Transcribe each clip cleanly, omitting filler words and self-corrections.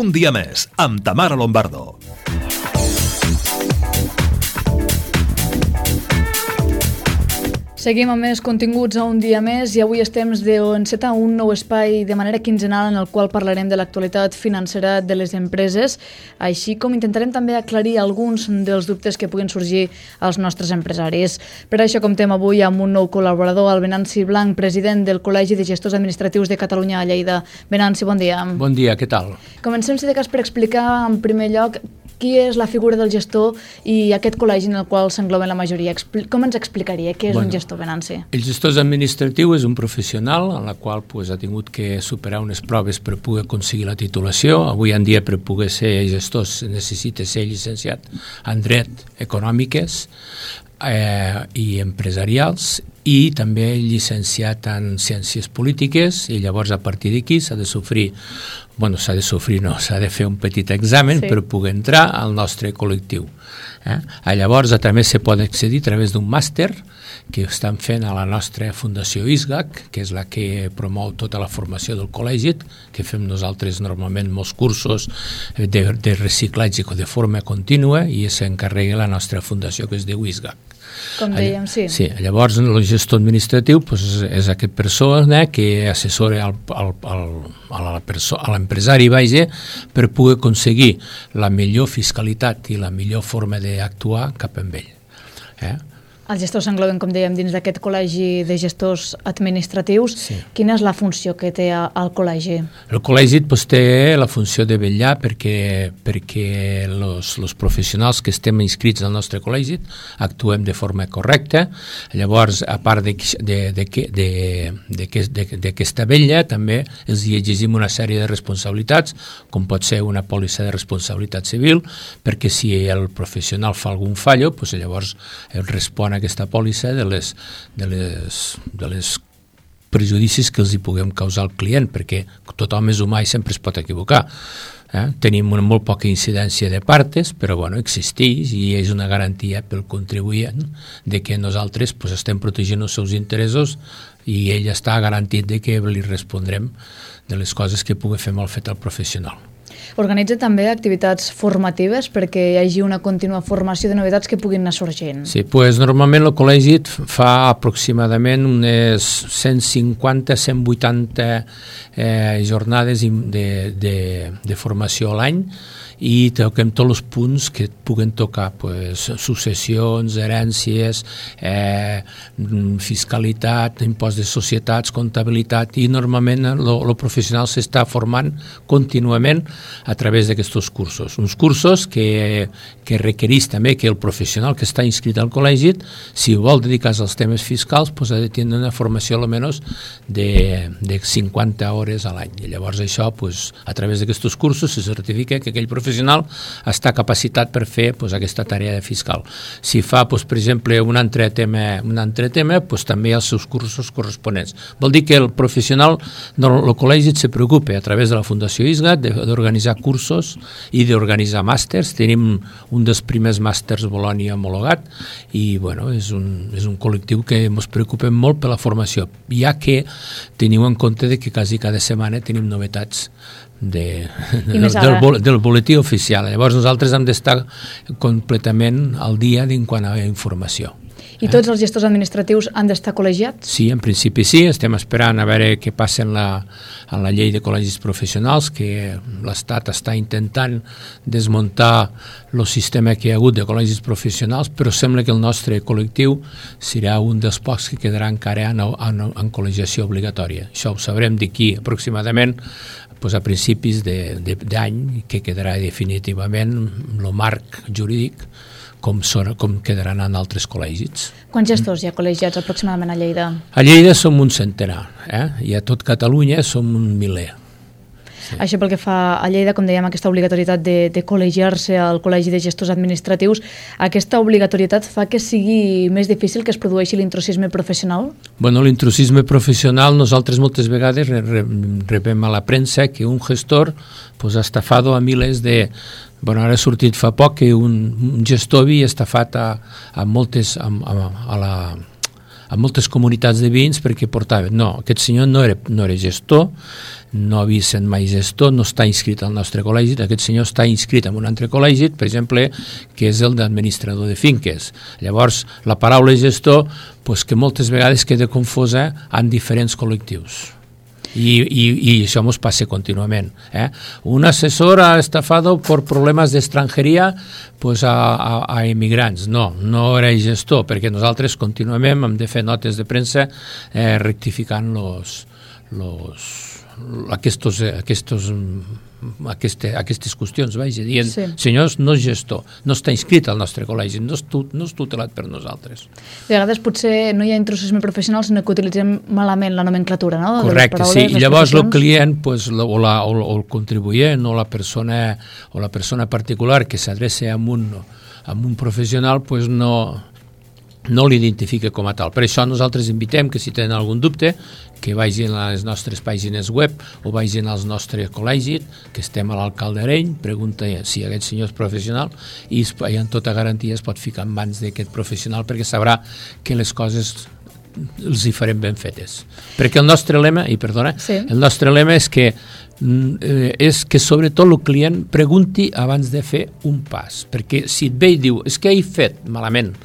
Un dia més, amb Tamara Lombardo. Seguim amb més continguts a Un dia més i avui és temps d'encetar un nou espai de manera quinzenal en el qual parlarem de l'actualitat financera de les empreses, així com intentarem també aclarir alguns dels dubtes que puguin sorgir als nostres empresaris. Per això comptem avui amb un nou col·laborador, el Venanci Blanc, president del Col·legi de Gestors Administratius de Catalunya a Lleida. Venanci, bon dia. Bon dia, què tal? Comencem, si de cas, per explicar en primer lloc qui és la figura del gestor i aquest col·legi en el qual s'engloben la majoria. Com ens explicaria què és un gestor, Venanci? El gestor administratiu és un professional en la qual ha tingut que superar unes proves per poder aconseguir la titulació. Avui en dia, per poder ser gestor, necessita ser llicenciat en dret econòmiques i empresarials i també llicenciat en ciències polítiques, i llavors a partir d'aquí s'ha de fer un petit examen per poder entrar al nostre col·lectiu. Llavors també se pot accedir a través d'un màster que estan fent a la nostra Fundació ISGAC, que és la que promou tota la formació del col·legi, que fem nosaltres normalment molts cursos de reciclatge de forma contínua, i s'encarrega la nostra fundació, que es diu ISGAC. Com dèiem, sí. Sí, llavors el gestor administratiu és aquesta persona que assessora a l'empresari per poder aconseguir la millor fiscalitat i la millor forma d'actuar cap amb ell. Els gestors s'engloben, com dèiem, dins d'aquest col·legi de gestors administratius. Sí. Quina és la funció que té el col·legi? El col·legi té la funció de vetllar perquè els professionals que estem inscrits al nostre col·legi actuem de forma correcta. Llavors, a part d'aquesta vetlla, també els exigim una sèrie de responsabilitats, com pot ser una pòlissa de responsabilitat civil, perquè si el professional fa algun fallo, llavors respon a aquesta pòlissa de les prejudicis que els hi puguem causar al client, perquè tothom és humà i sempre es pot equivocar. Tenim una molt poca incidència de partes, però existeix i és una garantia pel contribuent de que nosaltres estem protegint els seus interessos i ell està garantit de que li respondrem de les coses que pugui fer mal fet al professional. Organitza també activitats formatives perquè hi hagi una contínua formació de novetats que puguin anar sorgint. Sí, normalment el col·legi fa aproximadament unes 150-180 jornades de formació a l'any, i toquem tots els punts que puguen tocar, successions, herències, fiscalitat, impost de societats, comptabilitat, i normalment el professional s'està formant contínuament a través d'aquests cursos. Uns cursos que requereix també que el professional que està inscrit al col·legi, si vol dedicar-se als temes fiscals, ha de tenir una formació almenys de 50 hores a l'any. I llavors això, a través d'aquests cursos, se certifica que aquell professional està capacitat per fer aquesta tarea de fiscal. Si fa, per exemple, un altre tema, també els seus cursos corresponents. Vol dir que el professional del col·legi se preocupa a través de la Fundació ISGAT d'organitzar cursos i d'organitzar màsters. Tenim un dels primers màsters Bolònia homologat i és un col·lectiu que ens preocupem molt per la formació, ja que teniu en compte que quasi cada setmana tenim novetats del boletí oficial. Llavors nosaltres hem d'estar completament al dia en quant a informació. I tots els gestors administratius han d'estar col·legiats? Sí, en principi sí. Estem esperant a veure què passa en la llei de col·legis professionals, que l'Estat està intentant desmuntar el sistema que hi ha hagut de col·legis professionals, però sembla que el nostre col·lectiu serà un dels pocs que quedarà encara en col·legiació obligatòria. Això ho sabrem d'aquí aproximadament a principis d'any, que quedarà definitivament el marc jurídic com quedaran en altres col·legis. Quants gestors hi ha col·legiats aproximadament a Lleida? A Lleida som un centenar, i a tot Catalunya som un miler. Sí. Això pel que fa a Lleida, com dèiem, aquesta obligatorietat de col·legiar-se al Col·legi de Gestors Administratius, aquesta obligatorietat fa que sigui més difícil que es produeixi l'intrusisme professional? L'intrusisme professional, nosaltres moltes vegades rebem a la premsa que un gestor ha estafat a milers de... Ara ha sortit fa poc que un gestor havia estafat a moltes comunitats de veïns perquè portaven, no, aquest senyor no era gestor, no havia sent mai gestor, no està inscrit al nostre col·legi, aquest senyor està inscrit en un altre col·legi, per exemple, que és el d'administrador de finques. Llavors, la paraula gestor, pues, que moltes vegades queda confosa en diferents col·lectius. Y això ens passa contínuament. Un assessor ha estafado por problemes d'estrangeria pues a immigrants. No era gestor, perquè nosaltres contínuament hem de fer notes de premsa rectificant aquestes qüestions, dient, senyors, no és gestor, no està inscrit al nostre col·legi, no és tutelat per nosaltres. De vegades potser no hi ha intrusisme professional, sinó que utilitzem malament la nomenclatura, no? Correcte, sí, i llavors el client o el contribuent o la persona particular que s'adreça a un professional pues no l'identifica com a tal. Per això nosaltres invitem que si tenen algun dubte que vagin a les nostres pàgines web o vagin als nostres col·legis, que estem a l'alcalde Areny, pregunta si aquest senyor és professional i amb tota garantia es pot ficar en mans d'aquest professional perquè sabrà que les coses els hi farem ben fetes. Perquè el nostre lema, el nostre lema és que sobretot el client pregunti abans de fer un pas, perquè si et ve i diu, és que he fet malament,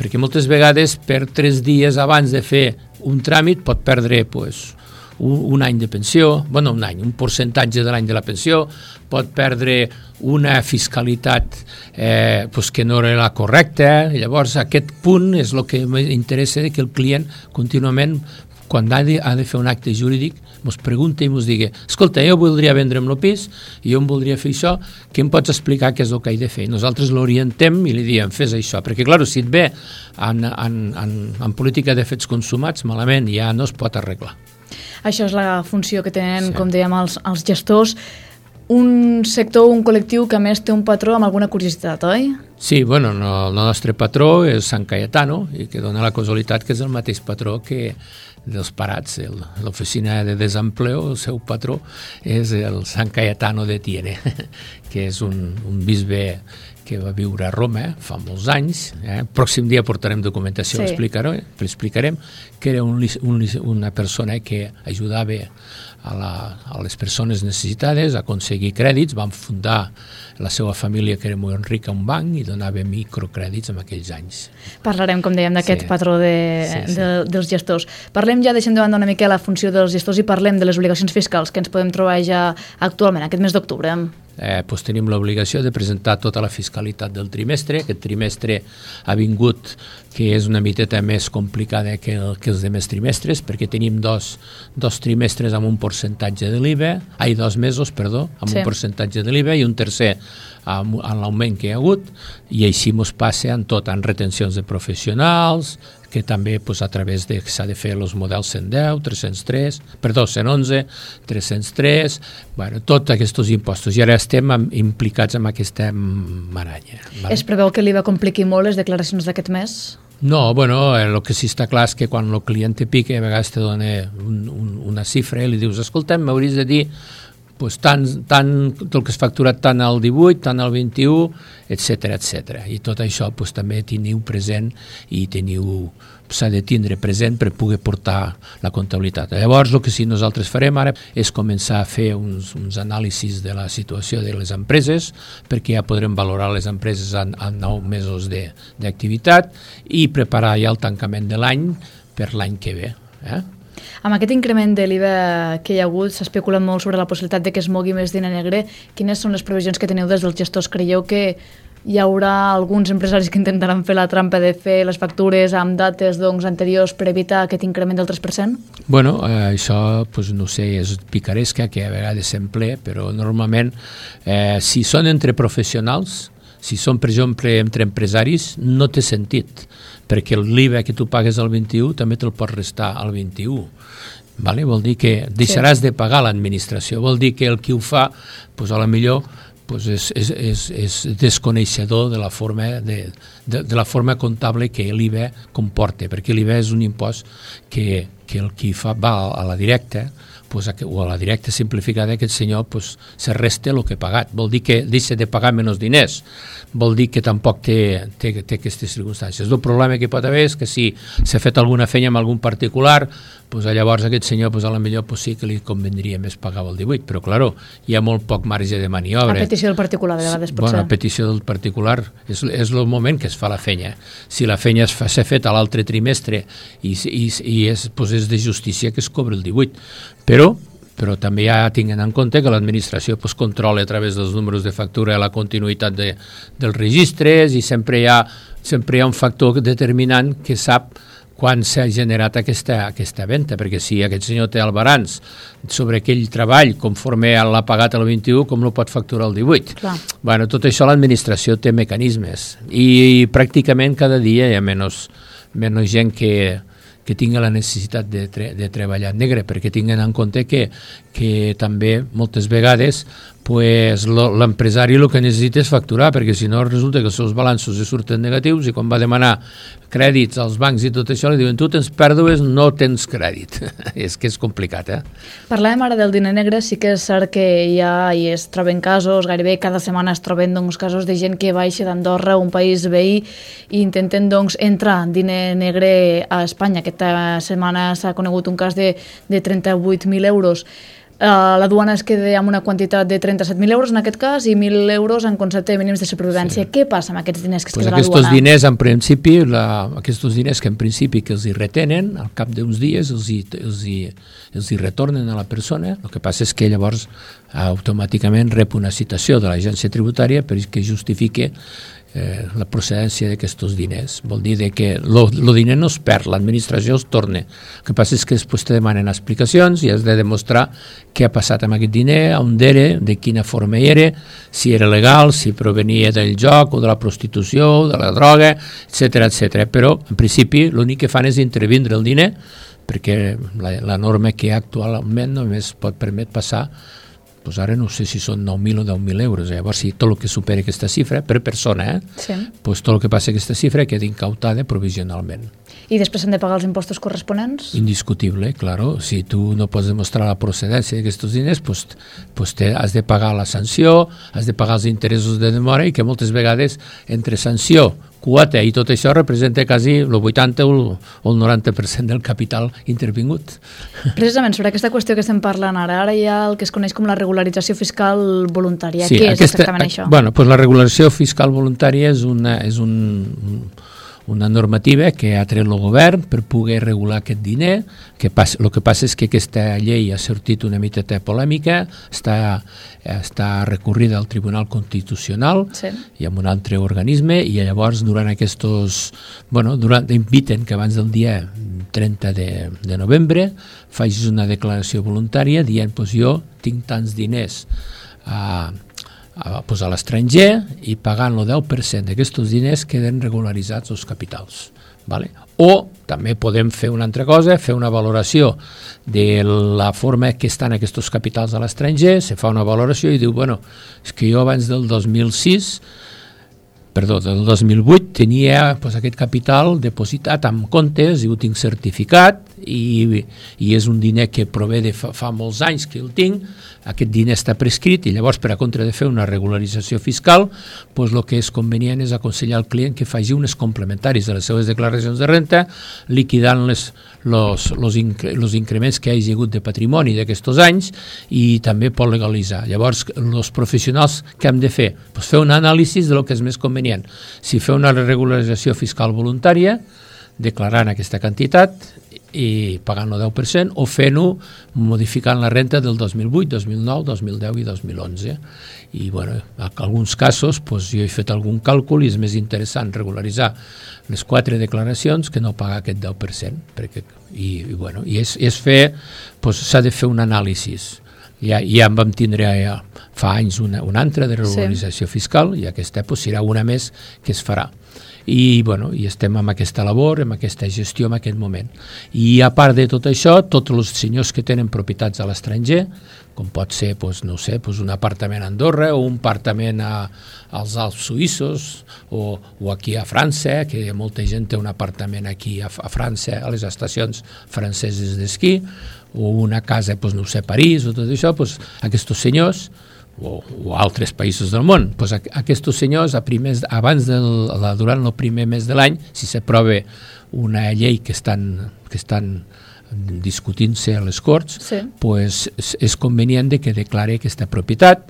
perquè moltes vegades per 3 dies abans de fer un tràmit pot perdre un any de pensió, un percentatge de l'any de la pensió, pot perdre una fiscalitat que no era la correcta. Llavors aquest punt és el que m'interessa, que el client contínuament, quan ha de fer un acte jurídic, ens pregunta i ens digui, escolta, jo voldria vendre'm el pis i jo em voldria fer això, què em pots explicar què és el que he de fer? Nosaltres l'orientem i li diem, fes això, perquè clar, si et ve en política de fets consumats, malament ja no es pot arreglar. Això és la funció que tenen, com dèiem, els gestors. Un sector, un col·lectiu que a més té un patró amb alguna curiositat, oi? Sí, el nostre patró és Sant Cayetano i que dona la casualitat que és el mateix patró que dels parats, l'oficina de desempleo, el seu patró és el Sant Cayetano de Tiene, que és un bisbe que va viure a Roma fa molts anys. Pròxim dia portarem documentació, l'explicarem, que era una persona que ajudava a les persones necessitades a aconseguir crèdits. Van fundar la seva família, que era molt rica, un banc i donava microcrèdits en aquells anys. Parlarem, com dèiem, d'aquest patró dels gestors. Parlem ja, deixem de banda una mica la funció dels gestors i parlem de les obligacions fiscals que ens podem trobar ja actualment, aquest mes d'octubre. Tenim l'obligació de presentar tota la fiscalitat del trimestre. Aquest trimestre ha vingut que és una miteta més complicada que els demés trimestres, perquè tenim dos trimestres amb un percentatge de l'IVA, 2 mesos, amb un percentatge de l'IVA i un tercer amb l'augment que hi ha hagut, i així ens passa en tot, en retencions de professionals, que també a través de s'ha de fer els models 110, 111, 303, tots aquests impostos. I ara estem implicats en aquesta maranya. Es preveu que l'IVA compliqui molt les declaracions d'aquest mes? No, el que sí està clar és que quan el client te pica, a vegades te dona una xifra i li dius, escolta'm, m'hauries de dir tant el que és facturat tant al 18, tant al 21, etc. I tot això també teniu present i s'ha de tindre present per poder portar la comptabilitat. Llavors, el que sí nosaltres farem ara és començar a fer uns anàlisis de la situació de les empreses, perquè ja podrem valorar les empreses en 9 mesos d'activitat i preparar ja el tancament de l'any per l'any que ve. Amb aquest increment de l'IVA que hi ha hagut, s'ha especulat molt sobre la possibilitat de que es mogui més diner negre. Quines són les previsions que teniu des dels gestors? Creieu que hi haurà alguns empresaris que intentaran fer la trampa de fer les factures amb dates anteriors per evitar aquest increment del 3%? Això, no sé, és picaresca, que a vegades s'emplea, però normalment, si són entre professionals, si són, per exemple, entre empresaris, no té sentit, perquè l'IVA que tu pagues al 21 també te'l pots restar al 21. Vol dir que deixaràs de pagar l'administració, vol dir que el qui ho fa, a la millor és desconeixedor de la forma comptable que l'IVA comporta, perquè l'IVA és un impost que que el qui va a la directa, pues, o a la directa simplificada, aquest senyor pues, se resta el que ha pagat. Vol dir que deixa de pagar menys diners. Vol dir que tampoc té aquestes circumstàncies. El problema que pot haver és que si s'ha fet alguna feina amb algun particular, pues, llavors aquest senyor pues, a la millor pues, sí que li convendria més pagar el 18, però claro, hi ha molt poc marge de maniobra. A petició del particular, de vegades pot ser. Bueno, a petició del particular és el moment que es fa la feina. Si la feina s'ha fet a l'altre trimestre i és de justícia que es cobra el 18, però també ja tinguin en compte que l'administració pues, controla a través dels números de factura la continuïtat dels registres i sempre hi ha un factor determinant que sap quan s'ha generat aquesta venda, perquè si aquest senyor té el balanç sobre aquell treball conforme l'ha pagat el 21, com no pot facturar el 18? Clar. Bueno, tot això l'administració té mecanismes i pràcticament cada dia hi ha menys gent que tingui la necessitat de treballar negre, perquè tinguin en compte que també moltes vegades pues, l'empresari el que necessita és facturar, perquè si no resulta que els seus balanços surten negatius i quan va demanar crèdits als bancs i tot això li diuen tu tens pèrdues, no tens crèdit. És que és complicat, Parlàvem ara del diner negre, sí que és cert que hi es troben casos, gairebé cada setmana es troben casos de gent que baixa d'Andorra, un país veí, i intenten entrar diner negre a Espanya. Aquesta setmana s'ha conegut un cas de 38.000 euros. La duana es queda amb una quantitat de 37.000 euros en aquest cas i 1.000 euros en concepte de mínims de supervivència. Sí. Què passa amb aquests diners que es queda a la duana? Aquests diners que en principi que els hi retenen, al cap d'uns dies els hi retornen a la persona. El que passa és que llavors automàticament rep una citació de l'agència tributària perquè justifique la procedència d'aquests diners. Vol dir que el diner no es perd, l'administració es torna. El que passa és que després te demanen explicacions i has de demostrar què ha passat amb aquest diner, on era, de quina forma era, si era legal, si provenia del joc o de la prostitució, de la droga, etc. Però, en principi, l'únic que fan és intervindre el diner perquè la norma que hi ha actualment només pot permetre passar pues ara no sé si són 9.000 o 10.000 euros. Llavors, si tot el que supera aquesta xifra, per persona, sí. Pues tot el que passa aquesta xifra queda incautada provisionalment. I després s'han de pagar els impostos corresponents? Indiscutible, claro. Si tu no pots demostrar la procedència d'aquests diners, pues has de pagar la sanció, has de pagar els interessos de demora i que moltes vegades entre sanció, quota i tot això representa quasi el 80 o el 90% del capital intervingut. Precisament sobre aquesta qüestió que estem parlant ara hi ha el que es coneix com la regularització fiscal voluntària. Sí, què és exactament això? Bueno, pues la regularització fiscal voluntària és una normativa que ha tret el govern per poder regular aquest diner. El que passa és que aquesta llei ha sortit una miqueta polèmica, està recorrida al Tribunal Constitucional sí. I amb un altre organisme i llavors durant inviten que abans del dia 30 de novembre facis una declaració voluntària dient jo tinc tants diners a l'estranger i pagant el 10% d'aquests diners queden regularitzats els capitals. Vale? O també podem fer una altra cosa, fer una valoració de la forma que estan aquests capitals a l'estranger, se fa una valoració i diu, és que jo abans del 2008 tenia aquest capital depositat amb comptes i ho tinc certificat i és un diner que prové de fa molts anys que el tinc, aquest diner està prescrit i llavors per a contra de fer una regularització fiscal el que és convenient és aconsellar al client que faci unes complementaris de les seves declaracions de renta liquidant els increments que hi hagi hagut de patrimoni d'aquests anys i també pot legalitzar. Llavors els professionals que hem de fer? Fer un anàlisi de lo que és més convenient. Si fer una regularització fiscal voluntària declarant aquesta quantitat i pagant el 10% o fent-ho modificant la renta del 2008, 2009, 2010 i 2011. I en alguns casos jo he fet algun càlcul i és més interessant regularitzar les 4 declaracions que no pagar aquest 10%. S'ha de fer un anàlisi. Ja en vam tindre fa anys una altra de regularització fiscal i aquesta serà una més que es farà. I estem amb aquesta labor, amb aquesta gestió en aquest moment. I a part de tot això, tots els senyors que tenen propietats a l'estranger, com pot ser, no sé, un apartament a Andorra o un apartament als Alps suïssos o aquí a França, que molta gent té un apartament aquí a França, a les estacions franceses d'esquí, o una casa, no sé, a París o tot això, aquests senyors o altres països del món, aquests senyors durant el primer mes de l'any, si s'aprova una llei que estan discutint-se a les Corts, és convenient que declare aquesta propietat,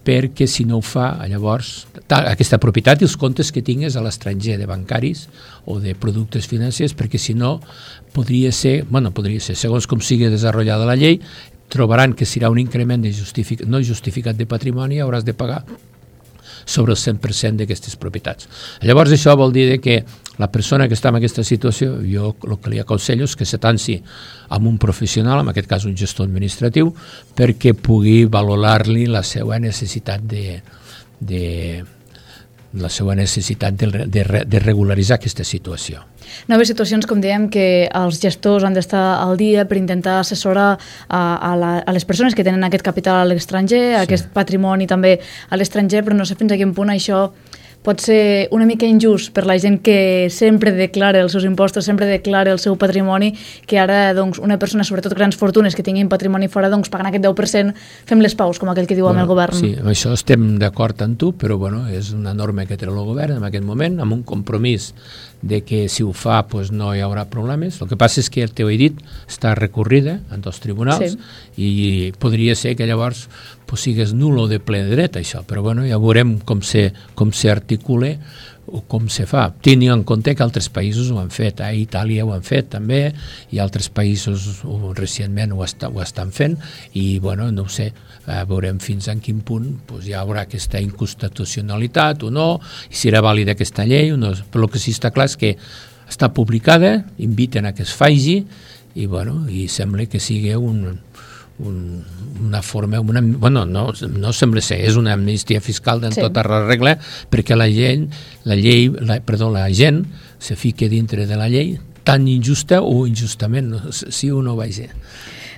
perquè si no ho fa, llavors, aquesta propietat i els comptes que tingues a l'estranger de bancaris o de productes financers, perquè si no podria ser, segons com sigui desenvolupada la llei, trobaran que serà un increment no justificat de patrimoni i hauràs de pagar sobre el 100% d'aquestes propietats. Llavors això vol dir que la persona que està en aquesta situació, jo el que li aconsello és que s'atanci amb un professional, en aquest cas un gestor administratiu, perquè pugui valorar-li la seva necessitat de regularitzar aquesta situació. Noves situacions, com dèiem, que els gestors han d'estar al dia per intentar assessorar a les persones que tenen aquest capital a l'estranger, aquest patrimoni també a l'estranger, però no sé fins a quin punt això pot ser una mica injust per la gent que sempre declara els seus impostos, sempre declara el seu patrimoni, que ara una persona, sobretot grans fortunes que tinguin patrimoni fora, pagant aquest 10%, fem les paus, com aquell que diu amb el govern. Sí, amb això estem d'acord amb tu, però és una norma que té el govern en aquest moment, amb un compromís de que si ho fa no hi haurà problemes. El que passa és que, t'ho he dit, està recorrida en els tribunals i podria ser que llavors sigués nul o de ple dret això, però ja veurem com s'articula o com se fa. Tenint en compte que altres països ho han fet, a Itàlia ho han fet també, i altres països recentment ho estan fent, i no ho sé, veurem fins a quin punt hi haurà aquesta inconstitucionalitat o no, i si era vàlida aquesta llei o no. Però el que sí està clar és que està publicada, inviten a que es faci, i sembla que sigui una forma, no sembla ser, és una amnistia fiscal en tota la regla, perquè la gent se fica dintre de la llei tan injusta o injustament, si o no vagi.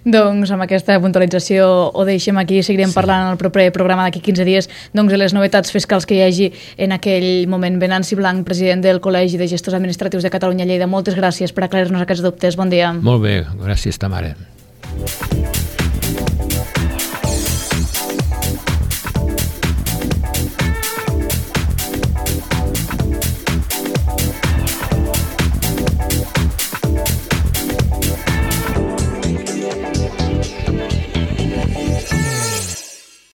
Doncs amb aquesta puntualització ho deixem aquí, seguirem parlant en el proper programa d'aquí 15 dies de les novetats fiscals que hi hagi en aquell moment. Venanci Blanc, president del Col·legi de Gestors Administratius de Catalunya Lleida, moltes gràcies per aclarir-nos aquests dubtes. Bon dia. Molt bé, gràcies, Tamara.